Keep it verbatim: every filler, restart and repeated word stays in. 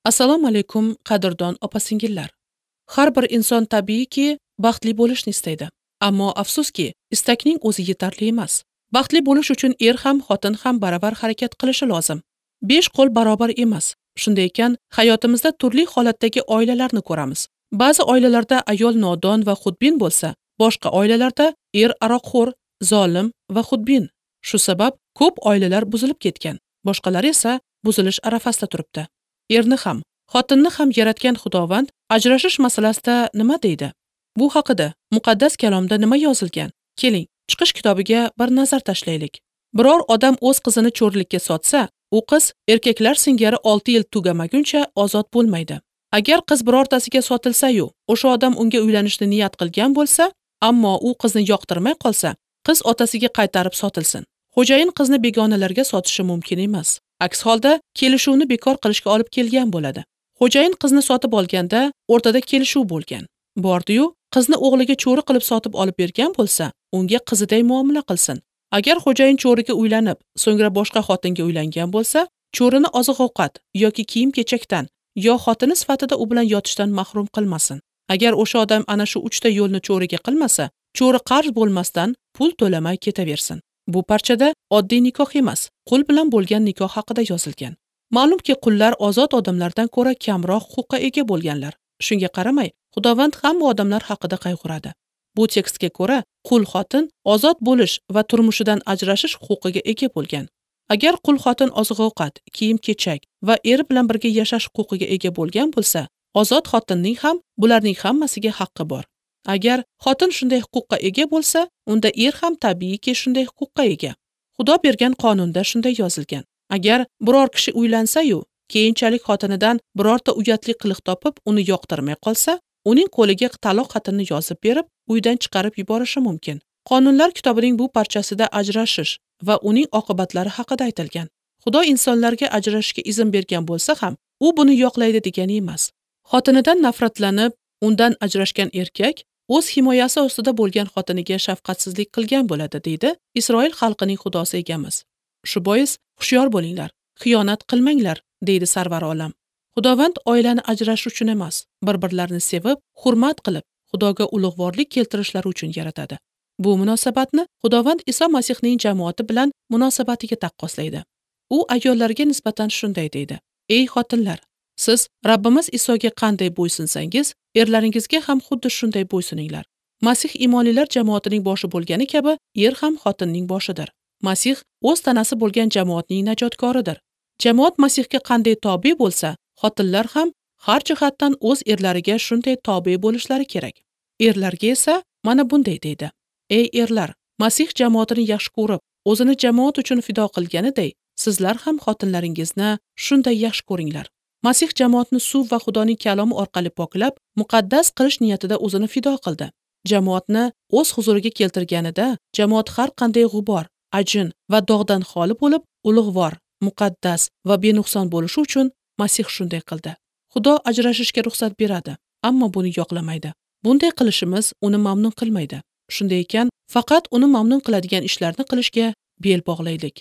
Assalomu alaykum, qadrdon opa-singillar. Har bir inson tabiiyki baxtli bo'lishni istaydi. Ammo afsuski, istakning o'zi yetarli emas. Baxtli bo'lish uchun er ham, xotin ham baravar harakat qilishi lozim. Besh qo'l barobar emas. Shunday ekan, hayotimizda turli holatdagi oilalarni ko'ramiz. Ba'zi oilalarda ayol nodon va xudbin bo'lsa, boshqa oilalarda er aroqxo'r, zolim va xudbin. Shu sabab ko'p oilalar buzilib ketgan, boshqalari esa buzilish arafasida turibdi. Erni ham, xotinni ham yaratgan Xudovand ajrashish masalasida nima deydi? Bu haqida muqaddas kalomda nima yozilgan? Keling, Chiqish kitobiga bir nazar tashlaylik. Biror odam o'z qizini cho'rilikka sotsa, u qiz erkaklar singari olti yil tugamaguncha ozod bo'lmaydi. Agar qiz birortasiga sotilsa-yu, o'sha odam unga uylanishni niyat qilgan bo'lsa, ammo u qizni yoqtirmay qolsa, qiz otasiga qaytarib sotilsin. Xo'jayin qizni begonalarga sotishi mumkin emas. Aks holda kelishuvni bekor qilishga olib kelgan bo'ladi. Xo'jayin qizni sotib olganda o'rtada kelishuv bo'lgan. Bordi-yu, qizni o'g'liga cho'ri qilib sotib olib bergan bo'lsa, unga qiziday muomala qilsin. Agar xo'jayin cho'riga uylanib, so'ngra boshqa xotinga uylangan bo'lsa, cho'rini oziq-ovqat yoki kiyim-kechakdan yo xotini sifatida u bilan yotishdan mahrum qilmasin. Agar o'sha odam ana shu uchta yo'lni cho'riga qilmasa, cho'ri qarz bo'lmasdan pul to'lamay ketaversin. Bu parchada oddiy nikoh emas, qul bilan bo'lgan nikoh haqida yozilgan. Ma'lumki, qullar ozod odamlardan ko'ra kamroq huquqqa ega bo'lganlar. Shunga qaramay, Xudovand hamma odamlar haqida qayg'uradi. Bu tekstga ko'ra, qul xotin ozod bo'lish va turmushidan ajrashish huquqiga ega bo'lgan. Agar qul xotin oziq-ovqat, kiyim-kechak va eri bilan birga yashash huquqiga ega bo'lgan bo'lsa, ozod xotinning ham bularning hammasiga haqqi bor. Agar xotin shunday huquqqa ega bo'lsa, unda er ham tabiiyki shunday huquqqa ega. Xudo bergan qonunda shunday yozilgan. Agar biror kishi uylansa-yu, keyinchalik xotinidan birorta uyatli qiliq topib, uni yoqtirmay qolsa, uning qo'liga taloq xatini yozib berib, uydan chiqarib yuborishi mumkin. Qonunlar kitobining bu parchasida ajrashish va uning oqibatlari haqida aytilgan. Xudo insonlarga ajrashishga izn bergan bo'lsa ham, u buni yoqlaydi degani emas. Xotinidan nafratlanib, undan ajrashgan erkak o'z himoyasi ostida bo'lgan xotiniga shafqatsizlik qilgan bo'ladi, deydi Isroil xalqining Xudosi egamiz. Shu bois hushyor bo'linglar, xiyonat qilmanglar, deydi Sarvar olam. Xudovand oilani ajrashish uchun emas, bir-birlarini sevib, hurmat qilib, Xudoga ulug'vorlik keltirishlari uchun yaratadi. Bu munosabatni Xudovand Iso Masihning jamoati bilan munosabatiga taqqoslaydi. U ayollarga nisbatan shunday deydi: Ey xotinlar, siz Rabbimiz Isoga qanday bo'ysunsangiz, erlaringizga ham xuddi shunday bo'ysuninglar. Masih imonlilar jamoatining boshi bo'lgani kabi, er ham xotinning boshidir. Masih o'z tanasi bo'lgan jamoatning najotkoridir. Jamoat Masihga qanday tobe bo'lsa, xotinlar ham har jihatdan o'z erlariga shunday tobe bo'lishlari kerak. Erlarga esa mana bunday deydi: Ey erlar, Masih jamoatini yaxshi ko'rib, o'zini jamoat uchun fido qilganiday, sizlar ham xotinlaringizni shunday yaxshi ko'ringlar. Masih jamoatni suv va Xudoning kalomi orqali poklab, muqaddas qilish niyatida o'zini fido qildi. Jamoatni o'z huzuriga keltirganida, jamoat har qanday g'ubor, ajin va dog'dan xoli bo'lib, ulug'vor, muqaddas va benuqson bo'lishi uchun Masih shunday qildi. Xudo ajrashishga ruxsat beradi, ammo buni yoqlamaydi. Bunday qilishimiz uni mamnun qilmaydi. Shunday ekan, faqat uni mamnun qiladigan ishlarni qilishga bel bog'laylik.